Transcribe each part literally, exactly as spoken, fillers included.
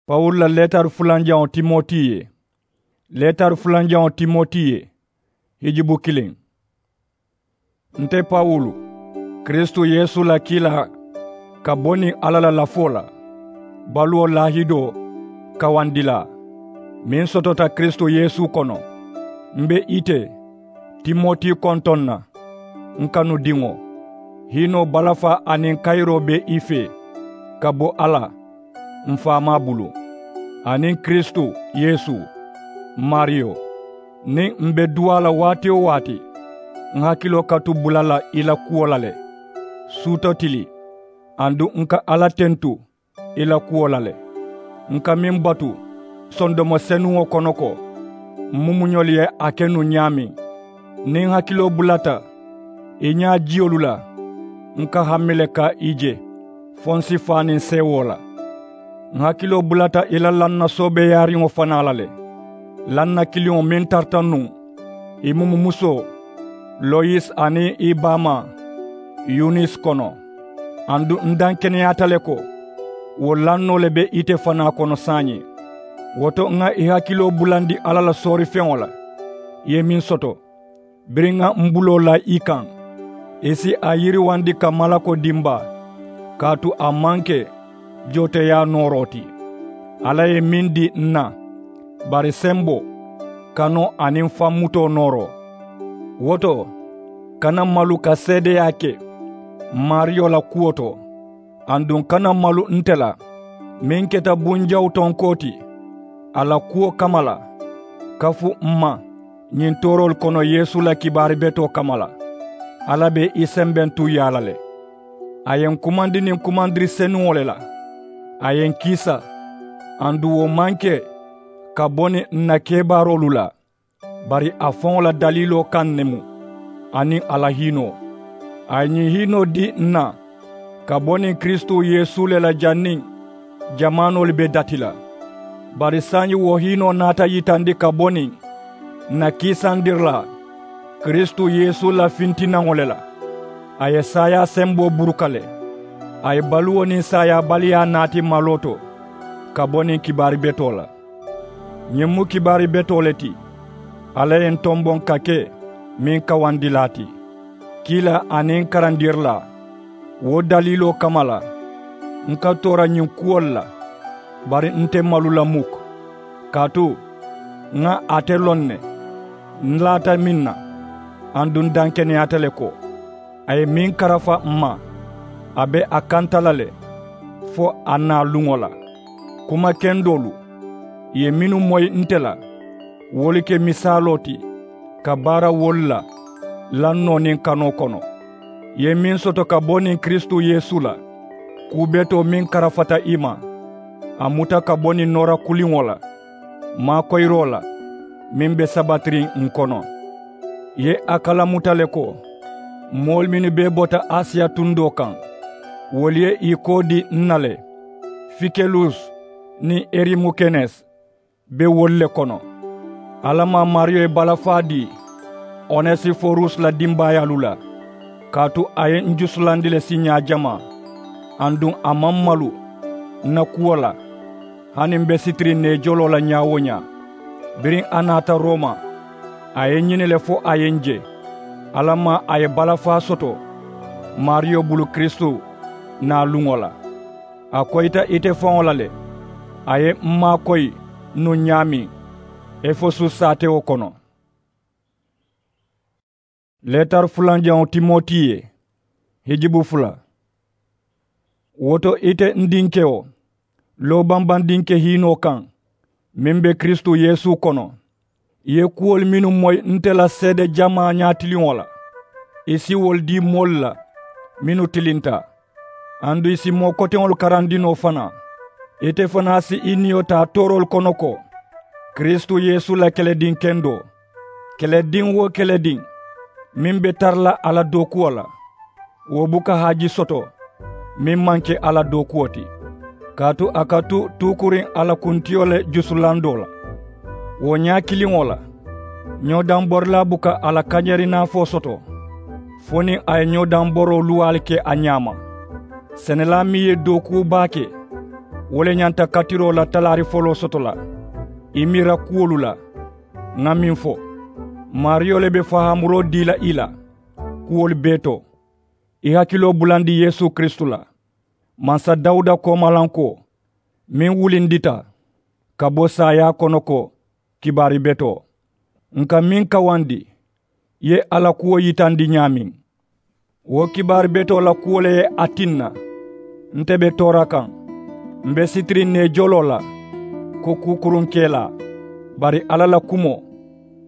Pawulu la leetari fulanjaŋo timoti ye. Leetari fulanjaŋo timoti ye. Hijibu kiliŋ. Nte pawulu, kiristu yeesu la kiilaa, ka bo niŋ alla la lafoo la, baluwo laahidoo kawandilaa, meŋ sotota kiristu yeesu kono. M be ite timoti kontoŋ na, n kanudiŋo, hiinoo balafaa aniŋ kayiroo be i fee, ka bo alla m faamaa bulu, aniŋ kiristu yeesu, maariyo. Niŋ m be duwaa la waati-wo-waati, n hakiloo ka tu bula la i la kuwo la le, suutotili, aduŋ n ka alla tentu i la kuwo la le. N ka meŋ batu sondomo senuŋo kono ko, m mumuñolu ye a ke nuŋ ñaameŋ. Niŋ n hakiloo bulata i ñaa jiyolu la, n ka hami le ka i je fo n si faa niŋ seewoo la. N hakiloo bulata i la lanna soobeeyaariŋo fanaa la le, lanna kiliŋo meŋ tarata nuŋ i mumu musoo loyis aniŋ i baamaa yunis kono. Aduŋ n daŋ keneyaata le ko, wo lannoo le be ite fanaa kono saayiŋ. Wo to ŋa i hakiloo bulandi alla la soorifeŋo la, i ye meŋ soto biriŋ ŋa m buloo la i kaŋ, i si a yiriwandi ka malako dimbaa, kaatu a maŋ ke jooteyaa nooroo ti. Alla ye meŋ dii n na, bari sembo, kanoo aniŋ fammutoo nooroo. Wo to, kana malu ka seedeyaa ke maariyo la kuwo to, aduŋ kana malu nte la, meŋ keta bunjawutonkoo ti a la kuwo kamma la, kafu m ma ñiŋ tooroolu kono yeesu la kibaari betoo kamma la. Alla be i sembentuuyaa la le. A ye n kumandi niŋ kumandiri senuŋo le la. A ye n kiisa, aduŋ wo maŋ ke ka bo niŋ n na kebaaroolu la, bari a faŋo la daliiloo kaŋ ne mu, aniŋ a la hiinoo. A ye ñiŋ hiinoo dii n na ka bo niŋ kiristu yeesu le la janniŋ jamaanoolu be dati la. Bari saayiŋ wo hiinoo naata yitandi ka bo niŋ n na kiisandirilaa kiristu yeesu la fintinaŋo le la. A ye saayaa semboo buruka le. A ye baluwo niŋ saayaabaliyaa naati maloo to ka bo niŋ kibaari betoo la. Ñiŋ mu kibaari betoo le ti. Alla ye n tomboŋ ka ke meŋ kawandilaa ti, kiilaa aniŋ karandirilaa. Wo daliiloo kamma la, n ka toora ñiŋ kuwolu la, bari n te malu la muk. Kaatu ŋa ate loŋ ne, n laata meŋ na, aduŋ n daŋ keneyaata le ko, a ye meŋ karafa m ma, a be a kanta la le fo a naa luŋo la. Kuma kendoolu ye mennu moyi nte la, wolu ke misaaloo ti ka baara wolu la lannoo niŋ kanoo kono. Ye meŋ soto ka bo niŋ kiristu yeesu la, kuu betoo meŋ karafata i ma, a muta ka bo niŋ noora kuliŋo la, maakoyiroo la meŋ be sabatiriŋ n kono. Ye a kalamuta le ko, moolu mennu be bota asiya tundoo kaŋ, wolu ye i koo dii n na le, fikelus niŋ erimukenes be wolu le kono. Alla maa maariyo ye balafaa dii onesiforus la dimbaayaalu la, kaatu a ye n jusulandi le siiñaa jamaa. Aduŋ a maŋ malu n na kuwo la, hani m be sitiriŋ neejoloo la ñaa-wo-ñaa. Biriŋ a naata roma, a ye n ñini le fo a ye n je. Alla maa a ye balafaa soto maariyo bulu kiristu naa luŋo la. A koyita ite faŋo la le, a ye m maakoyi nuŋ ñaameŋ efesus saatewo kono. Leetari fulanjaŋo timoti ye. Hijibu fula. Wo to ite n dinkewo, loo bambandinke hiinoo kaŋ meŋ be kiristu yeesu kono, i ye kuwolu mennu moyi nte la seede jamaa ñaatiliŋo la, i si wolu dii moolu la mennu tilinta, aduŋ i si moo koteŋolu karandi noo fanaa. Ite fanaa si i niyo taa tooroolu kono ko, kiristu yeesu la kelediŋ kendoo, kelediŋ-wo-kelediŋ meŋ be tara la a la dookuwo la, wo buka haaji soto meŋ maŋ ke a la dookuwo ti. Kaatu a ka tu tuukuriŋ a la kuntiyo le jusulandoo la. Wo ñaa kiliŋo la, ñoodaŋ borilaa buka a la kañeerinafoo soto fo niŋ a ye ñoodaŋ boroo luwaalu ke a ñaama. Senelaa meŋ ye dookuu baa ke, Wo le ñanta katiroo la talaari foloo soto la i miira kuwolu la. Ŋa meŋ fo, maariyo le be fahamuroo dii la i la kuwolu bee to. I hakiloo bulandi yeesu kiristu la, mansa dawuda koomalankoo meŋ wulindita ka bo saayaa kono ko, kibaari betoo. Ǹ ka meŋ kawandi, i ye a la kuwo yitandi ñaameŋ. Wo kibaari betoo la kuwo le ye a tinna nte be toora kaŋ. M̀ be sitiriŋ neejoloo la ko kuukuruŋ kelaa. Bari alla la kumoo,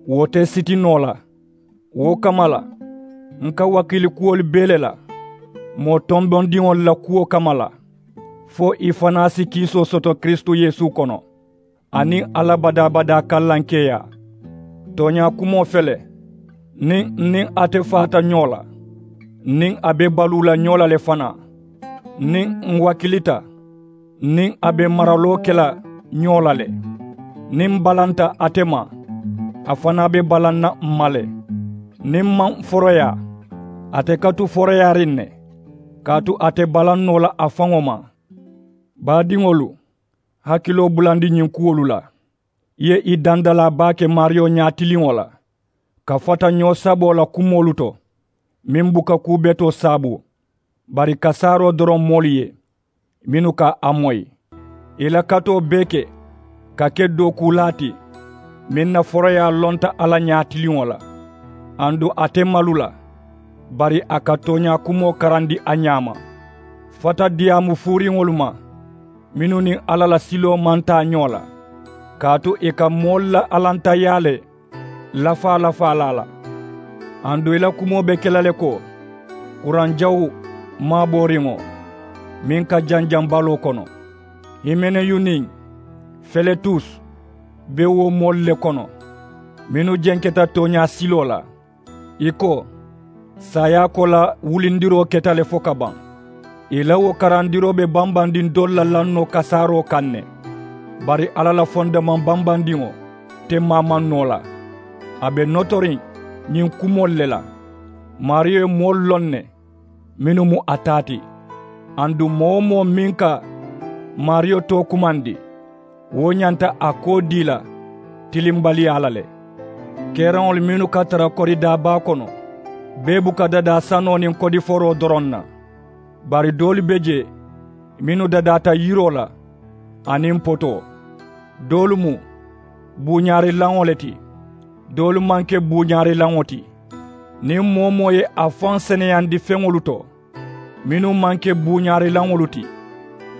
wo te siti noo la. Wo kamma la, ǹ ka wakiili kuwolu bee le la moo tombondiŋolu la kuwo kamma la, fo ì fanaa si kiisoo soto kiristu yeesu kono, aniŋ alla badaa-badaa kallankeeyaa. Tooñaa kumoo fele, niŋ n niŋ ate faata ñoo la, niŋ a be baluu la ñoo la le fanaa, niŋ n wakilita, niŋ a be maraloo ke la ñoo la le. Niŋ m balanta ate ma, a fanaa be balaŋ na m ma le. Niŋ m maŋ foroyaa, ate ka tu foroyaariŋ ne, kaatu a te balaŋ noo la a faŋo ma. Baadiŋolu, hakiloo bulandi ñiŋ kuwolu la. I ye i dandalaa baa ke maariyo ñaatiliŋo la, ka fata ñoo saboo la kumoolu to, meŋ buka kuu betoo saabu, bari kasaaroo doroŋ moolu ye, mennu ka a moyi. I la katoo bee ke ka ke dookuulaa ti, meŋ na foroyaa lonta alla ñaatiliŋo la. Aduŋ a te malu la, bari a ka tooñaa kumoo karandi a ñaama, fata diyaamu fuuriŋolu ma, mennu niŋ alla la siloo maŋ taa ñoo la, kaatu ì ka moolu la alantayaa le lafaa-lafaa la a la. Aduŋ ì la kumoo be ke la le ko, kuraŋ jawu maabooriŋo, meŋ ka janjaŋ baloo kono. Himeneyu niŋ feletus be wo moolu le kono, mennu jenketa tooñaa siloo la. Ì ko, saayaa kola wulindiroo keta le fo ka baŋ. Ì la wo karandiroo be bambandiŋ doolu la lannoo kasaaroo kaŋ ne. Bari alla la fondemaŋ bambandiŋo te maamaŋ noo la. A be notoriŋ ñiŋ kumoolu le la. Maariyo ye moolu loŋ ne, mennu mu a taa ti. Aduŋ moo-wo-moo meŋ ka maariyo too kumandi, wo ñanta a koo dii la tilimbaliyaa la le. Keeraŋolu mennu ka tara koridaa baa kono, bee buka dadaa sanoo niŋ kodiforoo doroŋ na. Bari doolu be jee mennu dadaata yiroo la, aniŋ potoo. Doolu mu buuñaarilaŋo le ti, doolu maŋ ke buuñaarilaŋo ti. Niŋ moo-wo-moo ye a faŋ seneyandi feŋolu to mennu maŋ ke buuñaarilaŋolu ti,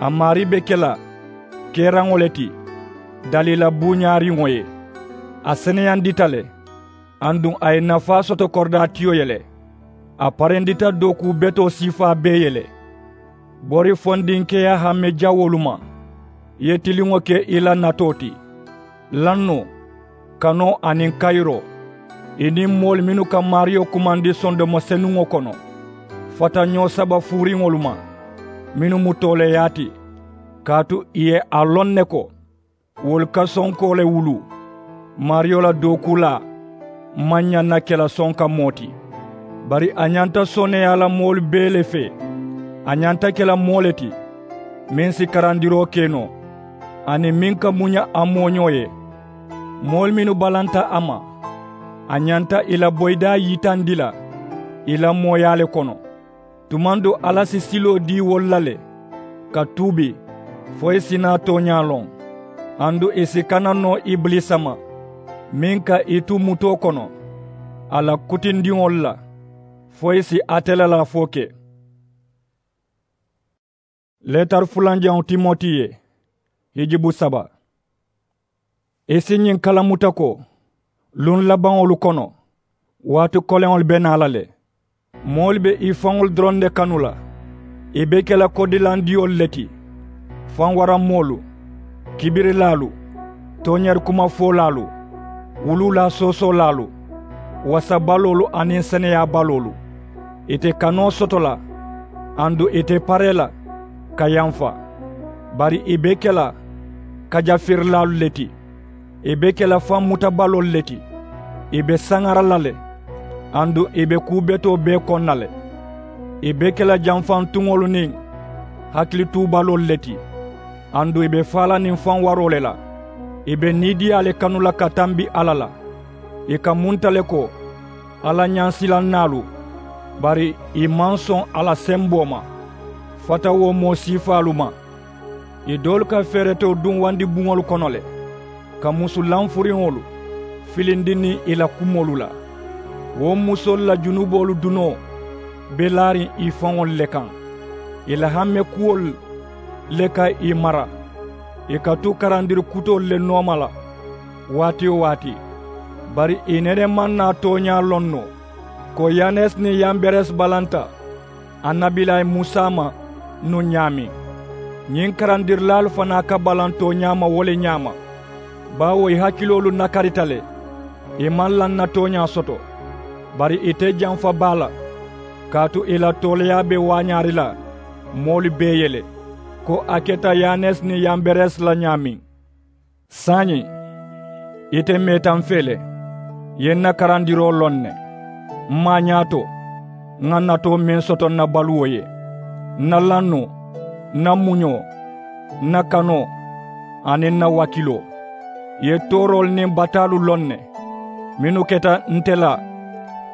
a maarii be ke la keeraŋo le ti, daliila buuñaariŋo ye. A seneyandita le, aduŋ a ye nafaa soto koridaatiyo ye le. A parendita dookuu betoo siifaa bee ye le. Bori fondinkeyaa hamme jawoolu ma, i ye tiliŋo ke ì la natoo ti. Lannoo, kanoo aniŋ kayiroo, ì niŋ moolu mennu ka maariyo kumandi sondomo senuŋo kono, fata ñoo saba fuuriŋolu ma, mennu mu tooleeyaa ti. Kaatu ì ye a loŋ ne ko, wolu ka sonkoo le wuluu. Maariyo la dookuulaa maŋ ñaŋ na ke la sonka moo ti, bari a ñanta soneyaa la moolu bee le fee. A ñanta ke la moo le ti, meŋ si karandiroo ke noo, aniŋ meŋ ka muña a mooñoo ye. Moolu mennu balanta a ma, a ñanta ì la boyidaa yitandi la ì la mooyaa le kono. Tumaŋ doo alla si siloo dii wolu la le, ka tuubi fo ì si naa tooñaa loŋ. Aduŋ ì si kana noo ibiliisa ma, meŋ ka ì tu mutoo kono a la kutindiŋolu la, fo ì si ate la laafoo ke. Leetari fulanjaŋo timoti ye, hijibu saba. Ì si ñiŋ kalamuta ko, luŋ labaŋolu kono, waati koleŋolu be naa la le. Moolu be ì faŋolu doroŋ ne kanu la. Ì be ke la kodilaa ndiyoolu le ti, fanwarammoolu, kibirilaalu, tooñaari kuma foolaalu, wuluulaa soosoolaalu, wasa baloolu aniŋ seneyaa baloolu. Ì te kanoo soto la, aduŋ ì te paree la ka yamfa. Bari ì be ke la kajafirilaalu le ti. Ì be ke la faŋ mutabaloolu le ti. Ì be saŋara la le, aduŋ ì be kuu betoo bee koŋ na le. Ì be ke la jamfantuŋolu niŋ hakilituubaloolu le ti. Aduŋ ì be faa la niŋ faŋ waroo le la. Ì be niidiyaa le kanu la ka tambi alla la. Ì ka munta le ko alla ñaŋ silannaalu, bari ì maŋ soŋ a la semboo ma fata wo moo siifaalu ma. Ì doolu ka feeretewo duŋ wandibuŋolu kono le, ka musu lanfuriŋolu filindi niŋ ì la kumoolu la. Wo musoolu la junuboolu dunoo be laariŋ ì faŋolu le kaŋ. Ì la hamme kuwolu le ka ì mara. Ì ka tu karandiri kutoolu le nooma la waati-wo-waati. Bari ì nene maŋ naa tooñaa loŋ noo, ko yanes niŋ yamberes balanta annabilaayi musa ma nuŋ ñaameŋ. Ñiŋ karandirilaalu fanaa ka balaŋ tooñaa ma wo le ñaama, baawo ì hakiloolu nakarita le. Ì maŋ laŋ na tooñaa soto, bari ì te jamfa baa la. Kaatu ì la tooleeyaa be waañaari la moolu bee ye le, ko a keta yanes niŋ yamberes la ñaameŋ. Saayiŋ ite meeta m fee le. Ì ye n na karandiroo loŋ ne. M maañaa to, ŋa natoo meŋ soto n na baluwo ye, n na lannoo, n na muñoo, n na kanoo, aniŋ n na wakiloo. Ì ye tooroolu niŋ bataalu loŋ ne, mennu keta nte la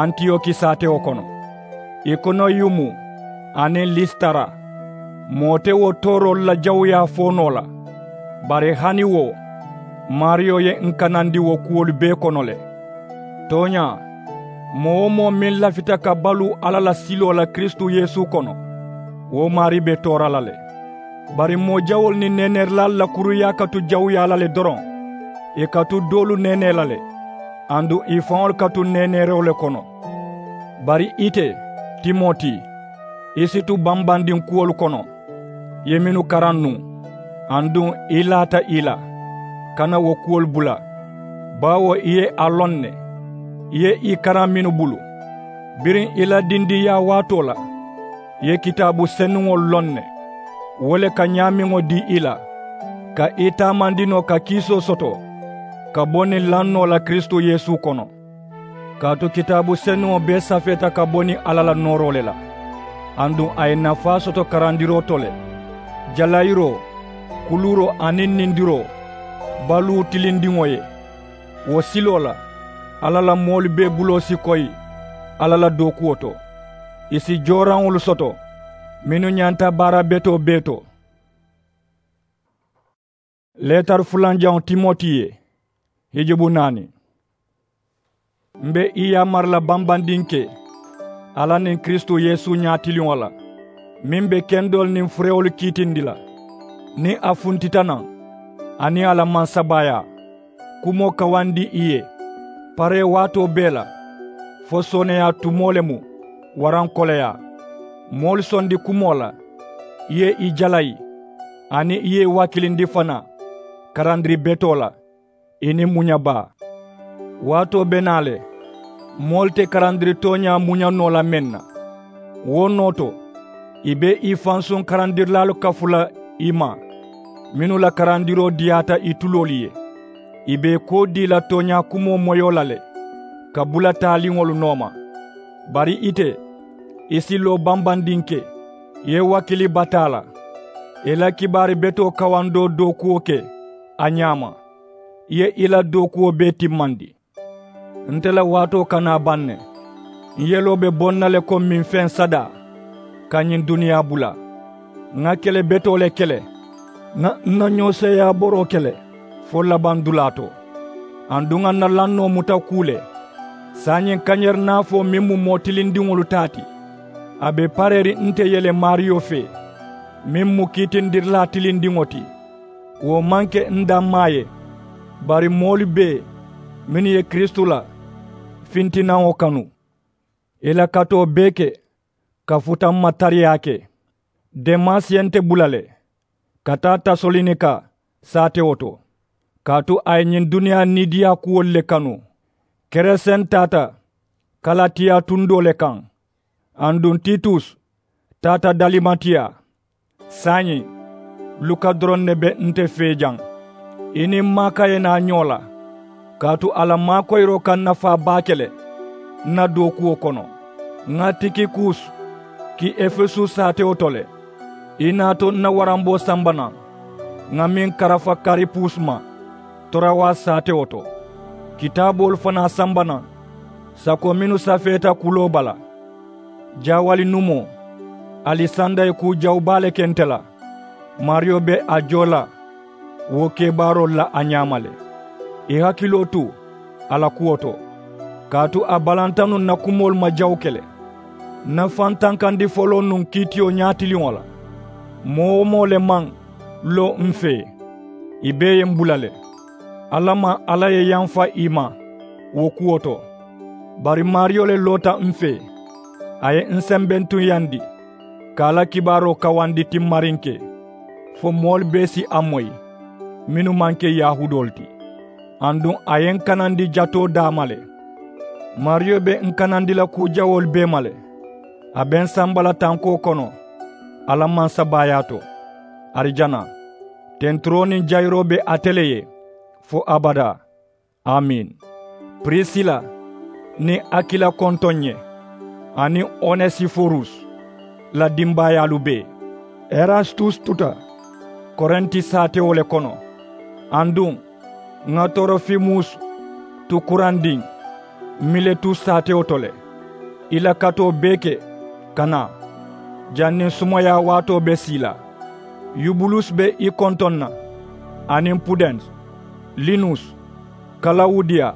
antiyoki saatewo kono, ikoniyumu aniŋ lisitara. Moo te wo tooroolu la jawuyaa fo noo la. Bari hani wo, maariyo ye n kanandi wo kuwolu bee kono le. Tooñaa, moo-wo-moo meŋ lafita ka baluu alla la siloo la kiristu yeesu kono, wo maarii be toora la le. Bari moo jawoolu niŋ neeneerilaalu la kuruyaa ka tu jawuyaa la le doroŋ. Ì ka tu doolu neenee la le, aduŋ ì faŋolu ka tu neeneeroo le kono. Bari ite, timoti, i si tu bambandiŋ kuwolu kono, i ye mennu karaŋ nuŋ, aduŋ i laata i la. Kana wo kuwolu bula, baawo i ye a loŋ ne, i ye i karaŋ mennu bulu. Biriŋ i la dindiŋyaa waatoo la, i ye kitaabu senuŋolu loŋ ne, wo le ka ñaameŋo dii i la, ka i taamandi noo ka kiisoo soto ka bo niŋ lannoo la kiristu yeesu kono. Kaatu kitaabu senuŋo bee safeeta ka bo niŋ alla la nooroo le la. Aduŋ a ye nafaa soto karandiroo to le, jalayiroo, kuluuroo aniŋ nindiroo, baluu tilindiŋo ye. Wo siloo la, alla la moolu bee buloo si koyi alla la dookuwo to. Ì si jooraŋolu soto mennu ñanta baara betoo bee to. Leetari fulanjaŋo timoti ye, hijubu naani. M be i yaamari la bambandiŋ ke alla niŋ kiristu yeesu ñaatiliŋo la, meŋ be kendoolu niŋ furewolu kiitindi la. Niŋ a funtita naŋ, aniŋ a la mansabaayaa, kumoo kawandi i ye paree waatoo bee la, fo sooneeyaa tumoo le mu waraŋ koleyaa. Moolu sondi kumoo la, i ye i jalayi, aniŋ i ye i wakilindi fanaa karandiri betoo la, i niŋ muña baa. Waatoo be naa le, moolu te karandiri tooñaa muña noo la meŋ na, wo noo to, i be i fansuŋ karandirilaalu kafu la i ma, mennu la karandiroo diyaata i tuloolu ye. I be i koo dii la tooñaa kumoo moyoo la le, ka bula taaliŋolu nooma. Bari ite, i si loo bambandiŋ ke, i ye wakili bataa la, i la kibaari betoo kawandoo dookuwo ke a ñaama, i ye i la dookuwo bee timmandi. Nte la waatoo ka naa baŋ ne, n yeloo be boŋ na le ko meŋ feŋ sadaa ka ñiŋ duniyaa bula. Ŋa kele betoo le kele, ŋa n na ñooseeyaa boroo kele fo labaŋ dulaa to. Aduŋ ŋa n na lannoo muta kuu le, saayiŋ kañeeri naafoo meŋ mu moo tilindiŋolu taa ti, a be pareeriŋ nte ye le maariyo fee, meŋ mu kiitindirilaa tilindiŋo ti. Wo maŋ ke n dammaa ye, bari moolu bee mennu ye kiristu la fintinaŋo kanu, i la katoo bee ke ka futa m ma tariyaa ke. Demasi ye nte bula le ka taa tasolinika saatewo to, kaatu a ye ñiŋ duniyaa niidiyaa kuwolu le kanu. Kereseŋ taata kalatiya tundoo le kaŋ, aduŋ titus taata dalimatiya. Saayiŋ, luka doroŋ ne be nte fee jaŋ. I niŋ maaka ye naa ñoo la, kaatu a la maakoyiroo ka nafaa baake le n na dookuwo kono. Ŋa tikikus ki efesu saatewo to le, i naato n na waramboo samba naŋ. Ŋà meŋ karafa karipus ma torawaa saatewo to. Kitaaboolu fanaa samba naŋ sako mennu safeeta kuloo bala. Jaawali numoo, alisanda ye kuu jawu baa le ke nte la. Maariyo be a joo la wo kebaaroolu la a ñaama le. Ì hakiloo tu a la kuwo to, kaatu a balanta nuŋ ǹ na kumoolu ma jawu ke le. Ǹ na faŋ tankandi foloo nuŋ kiitiyo ñaatiliŋo la. Moo-wo-moo le maŋ loo m fee. Ì bee ye m bula le. Alla maŋ alla ye yamfa ì ma wo kuwo to. Bari maariyo le loota m fee. A ye m sembentuŋ yandi ka a la kibaaroo kawandi timmarinke, fo moolu bee si a moyi mennu maŋ ke yahuudoolu ti. Aduŋ a ye n kanandi jatoo daama le. Maariyo be n kanandi la kuu jawoolu bee ma le. A be n samba la tankoo kono a la mansabaayaa to arijana. Tenturoo niŋ jayiroo be ate le ye fo abadaa. Amiin. Pirisila niŋ akila kontoŋ n ye, aniŋ onesiforus la dimbaayaalu bee. Erasitus tuta korenti saatewo le kono. Aduŋ ŋà torofimus tu kurandiŋ miletus saatewo to le. Ì la katoo bee ke ka naa janniŋ sumayaa waatoo be sii la. Yubulus be ì kontoŋ na, aniŋ pudens, linus, kalawudiya,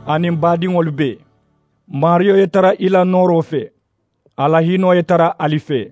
aniŋ baadiŋolu bee. Maariyo ye tara ì la nooroo fee. A la hinoo ye tara ali fee.